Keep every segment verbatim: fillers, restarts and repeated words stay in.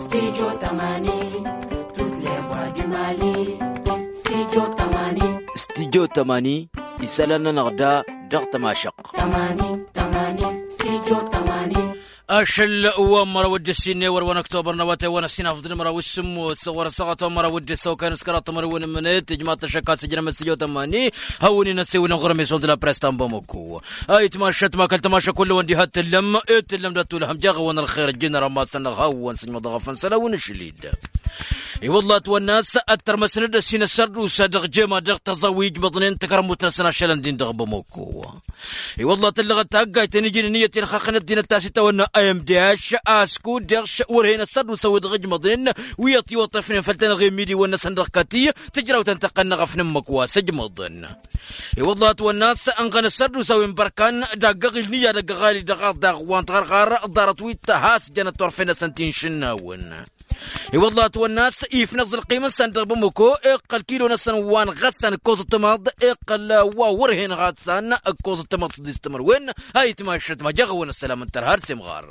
Studio tămani. Tut levoi du mali. Studio tămani. Studio tămani. Isălan-nănăɣ da dăɣ-tămašăɣt. Tămani tămani. Studio tămani. Ašăl wa n-măraw d-ǝssin n-ewăr wa n-ăktobăr n-awătay wa n-ăssin afḍăn măraw s-sǝmmos ɣur-ăssaɣăt wa n-măraw d-ǝssin wa n-kăraḍ tămăriwen n-imǝnet tǝjmaḍ-t ăššăk a-s ǝjrăm s-tǝjo tămani. Hawăn-in-ăsewǝlăn ɣur-ămesăwăḍ la press ta n-bamăko. Ayǝtmašat ma kăl-tămaša kull-wăn diha t-tǝllăm. T-tǝllăm d-ăttulăhăm jaɣ-awăn ălxer ăjjǝn rămas-năɣ hawăn sǝjmăḍ ɣăfăn sălawăn ašăl-dd. I-wălla ătwănna a-s ăttărmăsăn-dd ăssin ăssărdusa dăɣ-jema dăɣ-tăẓẓawi ijmăḍnen takărmut-năsăn ašălăn din dăɣ-bamăko. I-wălla tǝllăɣăt taggayt ta n-ijǝn ǝnniyăt i-ălxaqq n-ăddinăt ta s-itawănna a m d h a-s kud-dăɣ wăr hen ăssărdusa wi-dăɣ ijmăḍnen wi ătiwăṭṭăfnen făll-tenăɣ i-ămmidiwăn-năsăn dăɣ-kăti. Tǝjraw-tăn tăqqănnăɣ ăfnǝmmǝk wa s-ǝjmăḍăn. I-wălla ătwănna a-s ănɣăn ăssărdusa wi n-bărkan d-aggăɣil n-iyyăd ăgg-aɣali dăɣ-aḍaɣ wa n-tiɣărɣar ḍarăt wi t-has jănăt turfe-năsăn ti n-išǝnnawăn. I-wălla ătwănna a-s ifnăẓ ălqim-năsăn dăɣ-bamăko iqqăl kilo-năsăn wa n-ɣăssan ǝkkoẓ ǝttămaḍ iqqăl wa wăr hen ɣatsan ǝkkoẓ ǝttămaḍ s-dd-istămărwen. Ayǝtmašat ma jaɣ-awăn ăssălam n-tărha ar s-imɣar.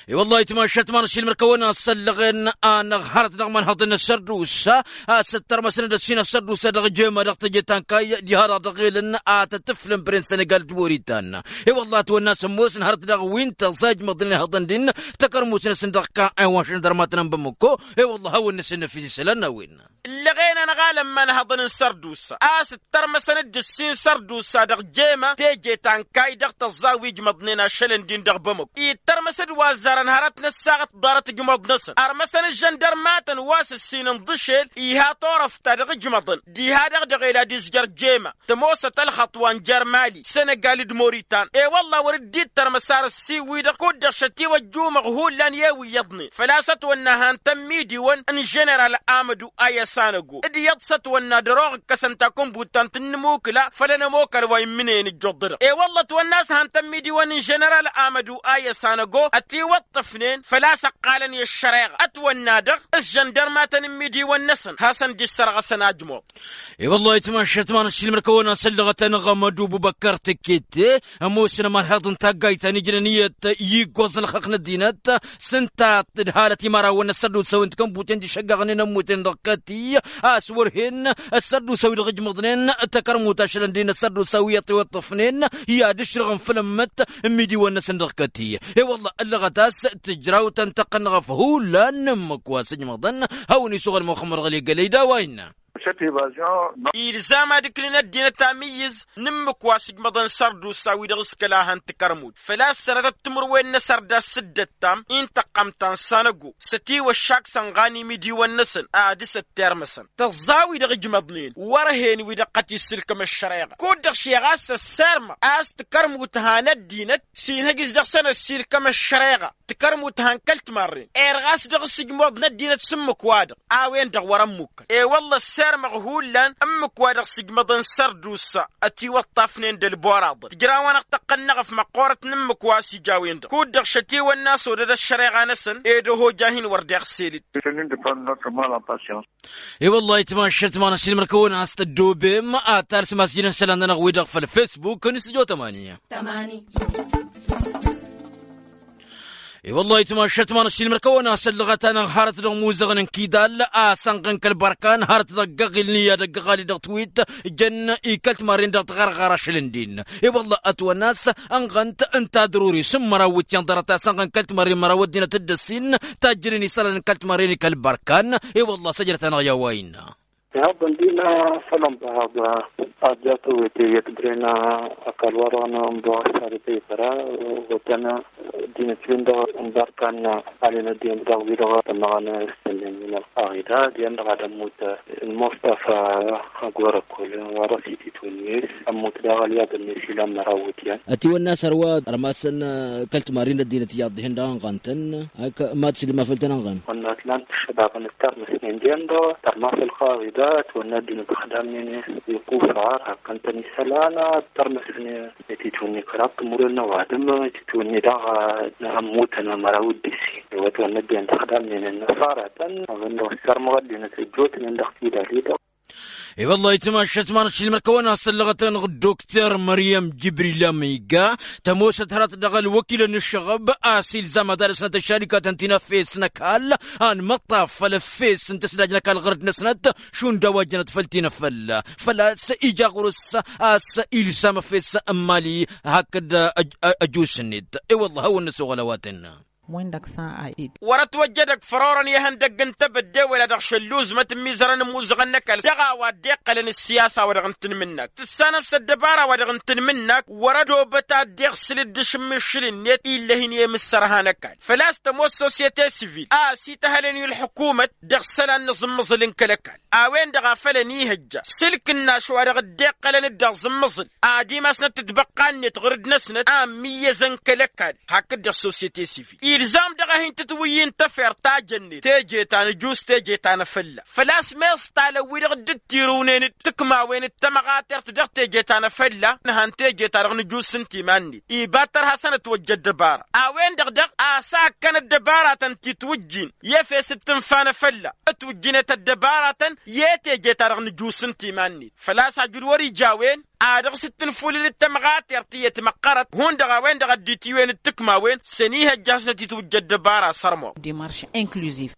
I-wălla ayǝtmašat ma n-ašilmăr kăwăn-asăllăɣen-anăɣ hărăt dăɣ-imanhăḍăn n-ăssărdusa a-s ǝttărmăsăn d-ăssin ăssărdusa dăɣ-jema dăɣ-teje tankay diha-dăɣ dăɣ-elăn a tăt-ǝflǝm bren senegal d-moritan. I-wălla ătwănna a-s ămoosăn hărăt dăɣ-wi n-tăẓẓa ijmăḍnen ihăḍăn din takărmut-năsăn dăɣ-ka iwašăn dărmatăn n-bamăko. I-wălla a hawăn-năsăn năfis isălan n-a-wen. Ǝllăɣen-anăɣ alămman hăḍăn n-sărdusa a-s ǝttărmăsăn-dd ǝssin sărdusa dăɣ-jema teje tankay dăɣ-tăẓẓa wi ijmăḍnen ašălăn din dăɣ-bamăko ittărmăs-dd wa ăzzarăn hărăt n-ăssaɣăt ḍarăt ijmăḍ-năsăn ărmăsăn ǝžžăndărmatăn wa s-ǝssin n-iḍǝšel iha turăft ta dăɣ-ijmăḍăn diha-dăɣ dăɣ-ela d-izjăr jema tămoosăt ălxăṭṭ wa n-jer-mali sănăgal d-moritan. E-wălla wăr dd-ittărmăs ar ǝssin-wi-dăɣ kud-dăɣ šătiwăjjumăɣ hullan i-ewǝyyăḍnen făl-a-s ătwănna han-tămmidiwăn n-ženeral amădu a i-ăsanăgo d-iyyăḍ s-ătwănna dăr-oɣ ǝkkăsăn takǝnbut ta n-tinǝmukǝla făll-ănămokal wa immǝnăyăn ǝjjuḍ-dăɣ. E-wălla ătwănna a-s han-tămmidiwăn n-ženeral amădu a i-ăsanăgo ătiwăṭṭăfnen făl-a-s ăqqalăn i-ăššăreɣa ătwănna-dăɣ s-žăndărmatăn n-imidiwăn-năsăn hasăn-dd-issărɣăsăn ajmuḍ. I-wăllah itmašat ma n-ašilmăr kăwăn-asăllăɣăt-anăɣ amădu bubăkkăr tǝkkete ămoosăn ămanhăḍ n-taggayt ta n-ijnăn iyyăt i-iggoẓ n-ălxăqq n-ăddinăt s-ǝnta d-halăt imărawăn n-ăssărdusa wi n-tikănbuten d-išăggăɣnen ămmuten dăɣ-kăti a-s wăr hen ăssărdusa wi-dăɣ ǝjmăḍnen takărmut ašălăn din ăssărdusa wi ăṭṭăwăṭṭăfnen i-ad-ǝšrăɣăn făll-ămmăt n-imidiwăn-năsăn dăɣ-kăti. I-wăllah ăllăɣăt a-s tǝjraw-tăn tăqqăn ɣăf hullan n-ǝmmǝk wa s-ǝjmăḍăn hawăn-isuɣăl muxămmăd ɣăli gălăy d-a-wa innă. Ilzam ad-ǝknen ăddinăt amǝyyǝz n-ǝmmǝk wa s-ǝjmăḍăn sărdusa wi-dăɣ s-kăla hăn takărmut făl-a-s sănătăt timǝrwen n-asărdas s-dd-ăttam i n-tăqqăm ta n-sanăgo s-ătiwăššak s-ănɣan imidiwăn-năsăn ad-dăr-s ăttirmăsăn tăẓẓa wi-dăɣ ǝjmăḍnen wăr-hen wi dăɣ-qăt issǝlkăm ăššăreɣa kud-dăɣ šeɣ a-s ăssirmăɣ a-s takărmut han ăddinăt s-inhăjǝs dăɣ-săn ăssiilkăm ăššăreɣa. Takărmut han kăl-timarren er ɣas dăɣ-s ǝjmuḍ n-ăddinăt s-ǝmmǝk-wa-dăɣ a-wen-dăɣ wăr-ămmukăn. E-wălla ăssirmăɣ hullan ǝmmǝk-wa-dăɣ s-ǝjmăḍăn sărdusa ătiwăṭṭafnen d-ălboraḍăn tǝjrawăn-aɣ tăqqăn n-aɣăf măqqoorăt n-ǝmmǝk wa s-ija a-wen-dăɣ kud-dăɣ šătiwănna s-odăd ăššăreɣa-năsăn. Ed ohoja hin-wăr deɣ selǝd. I-wăllah itmašat ma n-ašilmăr kăwăn-as tăddobem ad-talsăm asjăn isălan-nănăɣ-wi-dăɣ făll-facebook n-stujo tămani. I-wăllah itmašat ma n-ašilmăr kăwăn-as ăllăɣăt-anăɣ hărăt dăɣ-imuzăɣăn n-kidal a-s ănɣăn kăl-bărkan hărăt dăɣ-aɣil n-iyyăd ăgg-aɣali dăɣ-tiwit jăn ikăl timarren dăɣ-tiɣărɣar ašăl ǝndin. I-wăllah ătwănna a-s ănɣăn-t ǝnta ad-ărori s-ǝmmăraw iwǝtyan ḍarăt a-s ănɣăn kăl-timarren măraw ăddinăt dd-ăssin tajjănen isălan n-kăl-timarren i-kăl-bărkan. I-wăllah săjdăt-anăɣ i-a-wa innă. Ihăḍ ǝndin a-s ălănḍăhăḍ a ăjjat ăwwet iyyăt bren ăkall-wa-dăɣ n-ănḍuɣ ăššarăt a ifăra. Wătăn ăddinăt-wen-dăɣ n-ibarkan alen ăddinăt daɣ wi-dăɣ ănnăɣăn s-tănnen ălqaɣida dihen-dăɣ ad-ămmut n-mustafa. Ăgg-wăr-ăkkolen wa dăɣ-s ititwǝnne ămmut daɣ ălyaḍ-net ilan măraw iwǝtyan. Ătiwănna a-s hărwa ărmasăn kăl-timarren ăddinăt iyyăḍ dihen-dăɣ ănɣăn-tăn. Ak mad-sǝlma făll-tăn-ănɣan. Wănna ătlan tǝššăbabăn ǝttarmăsnen dihen-dăɣ tărmas ălqaɣida ătwănna ăddinăt ăxdamnen i-kufar hakkăn-tăn isălan ǝttarmăsnen. Ititwǝnne kăraḍ timǝrwen n-ăwadǝm ititwǝnne daɣ n-ămmutăn măraw d-ǝssin. Ătwănna ăddinăt ăxdamnen ănnăṣara-tăn. Ăbănna ăssărmăɣ ăddinăt ăjjootnen dăɣ-tidali-dăɣ. I-wăllah itmašat ma n-ašilmăr kăwăn-asăllăɣăt-anăɣ dokter măryăm jibril ămiga tămoosăt hărăt dăɣ-ălwăkilăn n-ǝššăɣăb a-s ilzam ad-alăsnăt ăššarikatăn ti n-efes n-ăkall a n-imăṭṭaf făll-efes n-tăsdaj n-ăkall ɣur-dd-năsnăt šund a-wa jănăt făll-ti n-afălla făl-a-s ija ɣur-s a-s ilzam efes n-imali hakd ăjus-net. I-wăllah a hawăn-năsoɣăl a-wa tăn-năɣ. Wăr-ătwăjja dăgg-fărorăn i-ihăndăgg n-tebădde wăla dăɣ-šălluzmăt n-imizărăn n-imuzăɣăn n-ăkall dăɣ-a-wa dd-iqqălăn ǝssiyasa wa dăɣ-n tǝnmǝnnak tǝssanăf s-ăddăbara wa dăɣ-n tǝnmǝnnak. Wăr-ădobăt ad-dd-iɣsǝl dd-ašǝmmišǝl-net ill'-e-hin i-imǝssărha n-ăkall făl-a-s tămoos sosiyete sivil a ăsităhălăn i-ǝlḥǝkumăt dăɣ-isălan n-aẓǝmmăẓǝl n-kăl-ăkall a-wen-dăɣ a făl ănihăjja s-ǝlkǝnnaš wa dăɣ-dd-iqqălăn dd-aẓǝmmăẓǝl ad-imasnăt tǝtbăqqa-net ɣur-dd-năsnăt a ămmiyyăzăn kăl-ăkall hakd-dăɣ sosiyete sivil ilzam dăɣ-e-hin tǝtwǝyy n-tefert tajănnet teje ta n-ǝjus teje ta n-afălla făl-a-s meẓ talăn-wi-dăɣ dd-tirǝwnen d-tǝkmawen d-tamăɣatert dăɣ-teje ta n-afălla n-han teje ta dăɣ-nǝjus n-timan-net iba tărha s-ănătwăjja ăddăbara a-wen-dăɣ dăɣ-a-s akkăn ăddăbaratăn ti ǝtwǝjjin i-efes d-tǝnfa n-afălla ǝtwǝjjǝnet ăddăbaratăn i-teje ta dăɣ-nǝjus n-timan-net făl-a-s ajǝd wăr-ija a-wen ad-dăɣ-s dd-tǝnfulǝl d-tamɣatert iyyăt măqqărăt hundăɣ a-wen-dăɣ ădditiwen d-tǝkmawen s-ănihăjja a-s nătitwǝjja ăddăbara s-ărmuḍ. Demarš inkluziv.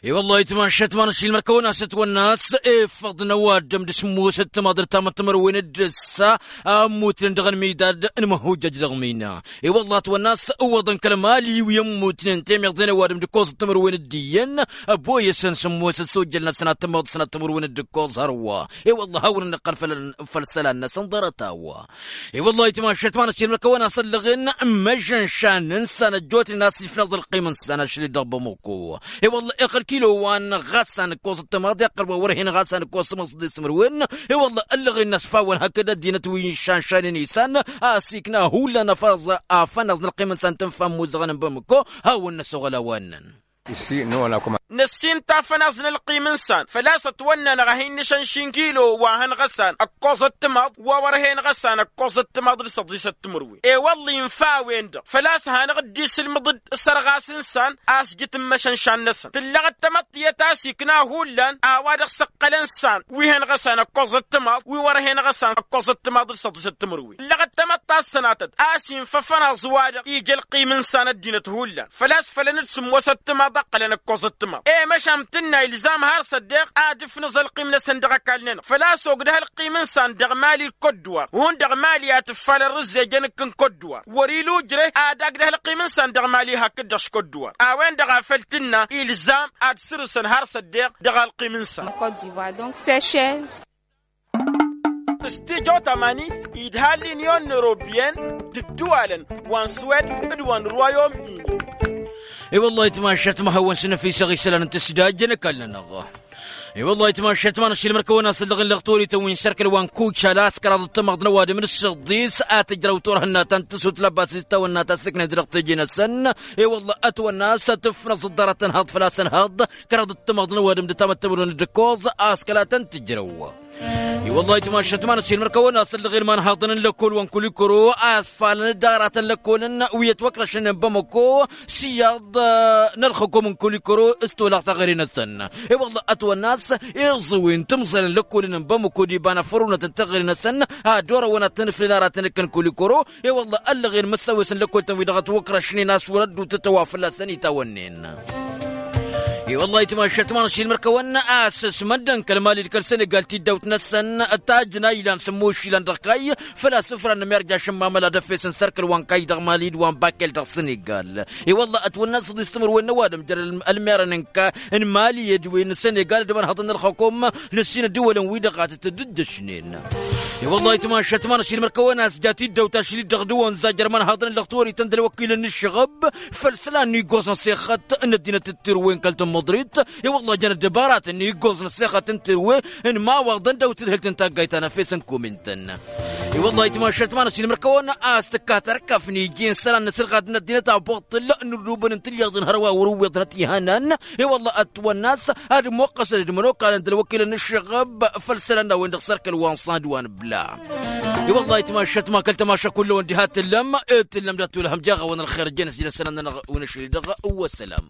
I-wăllah itmašat ma n-ašilmăr kăwăn-asăt wănnas efăḍ n-ăwadǝm d-sǝmmosăt timaḍ d-tamăt timărwen d-ǝssa a ămmutnen dăɣ-ălmidad n-imăhhujjăj dăɣ-mina. I-wăllah ătwănna a-s ǝwwăḍăn kăl-mali wi ămmutnen temiḍen ăwadǝm d-ǝkkoẓăt timǝrwen d-iyyăn ăboyăsăn sǝmmosăt s-ojjăl-năsăn ad-tămăḍ sănăt timǝrwen d-ǝkkoẓ hărwa. I-wăllah a hawăn-năqqăl făll-isălan-năsăn ḍarăt-a-wa. I-wăllah itmašat ma n-ašilmăr kăwăn-asăllăɣen măžănšan n-isan ăjjootnen a-s ifnăẓ ălqim n-isan ašăl-i dăɣ-bamăko. I-wălla iqqăl kilo wa n-ɣasan ǝkkoẓăt timaḍ iqqăl wa wăr-hen ɣasan ǝkkoẓăt timaḍ s-dd-ismǝrwen. I-wălla ăllăɣen n-asfawăn hakd ăddinăt wi n-išanšanen isan a-s ikna hullan ăfaẓ afănaẓ n-ălqim n-isan tǝnfa n-imuzăɣăn n-bamăko. Hawăn-năsoɣăl a-wa ǝnnăn. Năssin tafănaẓ n-ălqim n-isan făl-a-s ătwănna-năɣ a hin-nǝšănšin kilo wa hăn ɣăsan ǝkkoẓăt timaḍ wa wăr-hen ɣăsan ǝkkoẓăt timaḍ d-săḍisăt timǝrwen. I-wălla infa a-wen-dăɣ făl-a-s hanăɣ-dd-isǝlmǝḍ-dd s-ărɣas n-isan a-s jǝt n-imăšănšan-năsăn tǝllăɣăt tamăḍt tiyyăt a-s ikna hullan a-wa dăɣ-s ǝqqălăn isan wi hăn ɣăsan ǝkkoẓăt timaḍ wi wăr-hen ɣăsan ǝkkoẓăt timaḍ d-săḍisăt timǝrwen tǝllăɣăt tamăḍt ta s-sănatăt a-s infa fănaẓ wa-dăɣ ija ălqim n-isan ăddinăt hullan. Făl-a-s fălăn-dd sǝmmosăt timaḍ ǝqqălăn ǝkkoẓăt timaḍ i-măšan tǝnna ilzam har s-ăddeɣ ad-ǝfnǝẓ ălqim-năsăn dăɣ-ăkall-nănăɣ făl-a-s ogdăh ălqim n-isan dăɣ-mali d-kodduwar hundăɣ mali a tǝffalăn rǝzzejăn n-kodduwar wăr-ila ujreh ad-agdăh ălqim n-isan dăɣ-mali hakd-dăɣ s-kodduwar a-wen-dăɣ a făl tǝnna ilzam ad-sǝrǝsăn har s-ăddeɣ dăɣ-ălqim n-isan. S-tijot amani idha l-inyon n-europiyăn d-ǝddǝwalăn wa n-swed d-wa n-rwayom-ini. I-wăllah itmašat ma hawăn-sǝnăfisăɣ isălan n-tǝsdajjăn ăkall-nănăɣ. I-wăllah itmašat ma n-ašilmăr kăwăn-asăllăɣ n-lăɣ torităn wi n-sărkăl wa n-kucala a-s kăraḍ d-tamăḍt n-ăwadǝm n-săḍis a tǝjrăw turhǝnna ta n-tǝsut lăbbas d-tawănna ta s-ǝknen-dd dăɣ-teje-năsăn. I-wăllah ătwănna a-s tǝfnăẓ dd-arăt tăn-haḍ făl-a-s ănhăḍ kăraḍ d-tamăḍt n-ăwadǝm d-tamăttămrǝwen d-ǝkkoẓ a-s kăla tăn-tǝjrăw. I-wăllah itmašat ma n-ašilmăr kăwăn-asăllăɣ ilman haḍăn n-lăkkol wa n-kulikoro a-s falăn-dd aratăn lăkkolăn wi ătwăkrăšnen n-bamăko s-iyyăḍ n-ălxăkom n-kulikoro s-tolaɣ taɣăre-năsăn. I-wălla ătwănna a-s iẓǝwen timẓălăn lăkkolăn n-bamăko d-iba n-afărunăt n-taɣăre-năsăn ad-orăwăn ad-tăn-ǝflǝn aratăn-dd kăn kulikoro. I-wălla ăllăɣen măssawesăn lăkkoltăn-wi-dăɣ ătwăkrăšnen a-s wăr-ădduut tătawafǝl-asăn itawănnen. I-wălla itmašat ma n-ašilmăr kăwăn-asǝsmăddăn kăl-mali d-kăl-sănegal tiddawt-năsăn tajna ilan sǝmmuš ilan dăɣ-kayy făl-a-s ǝfran n-amirja ašǝmmamăl ad-ăffesăn s-ărkăl wa n-kayy dăɣ-mali d-wa n-bakel dăɣ-sănegal. I-wălla ătwănna a-s ăḍis timǝrwen n-ăwadǝm jer-ălmerăn n-mali ed wen n-sănegal d-imanhăḍăn n-ălxăkom n-ǝssin ăddiwălăn-wi-dăɣ a tǝtǝddǝjjăšnen. I-wălla itmašat ma n-ašilmăr kăwăn-asja tiddawt ašli-dd dăɣ-dăwănza jer-imanhăḍăn n-lăɣtorităn d-ălwăkilăn n-ǝššăɣăb făll-isălan n-iggoẓ n-asexăt n-ăddinăt d-tirwen kăl-tămmăḍrit. I-wălla jăn ăddăbaratăn n-iggoẓ n-asexăt n-tirwe n-imawăɣ d-ăndăw tǝdhǝlt n-taggayt ta n-efes n-kumin-tăn. I-wălla itmašat ma n-ašilmăr kăwăn-as tǝkka tărkăf n-iji n-isălan n-asǝlɣad n-ăddinăt abboṭṭǝl n-urrubăn n-tǝlliḍen hărwa wăr-ǝwwiḍnăt ihănan. I-wălla ătwănna a-s ad-ămmoqqăsăn d-imănokalăn d-ălwăkilăn n-ǝššăɣăb făll-isălan n-a-wen-dăɣ s-ărkăl wa n-sănad wa n-ǝbla. I-wălla itmašat ma kăl-tămaša kull a-wen diha tǝllăm tǝllăm dat-tulhăm jaɣ-awăn ălxer ăjjeen ăsjăl isălan-nănăɣ wi n-ašăl-i-dăɣ. Wăssălam.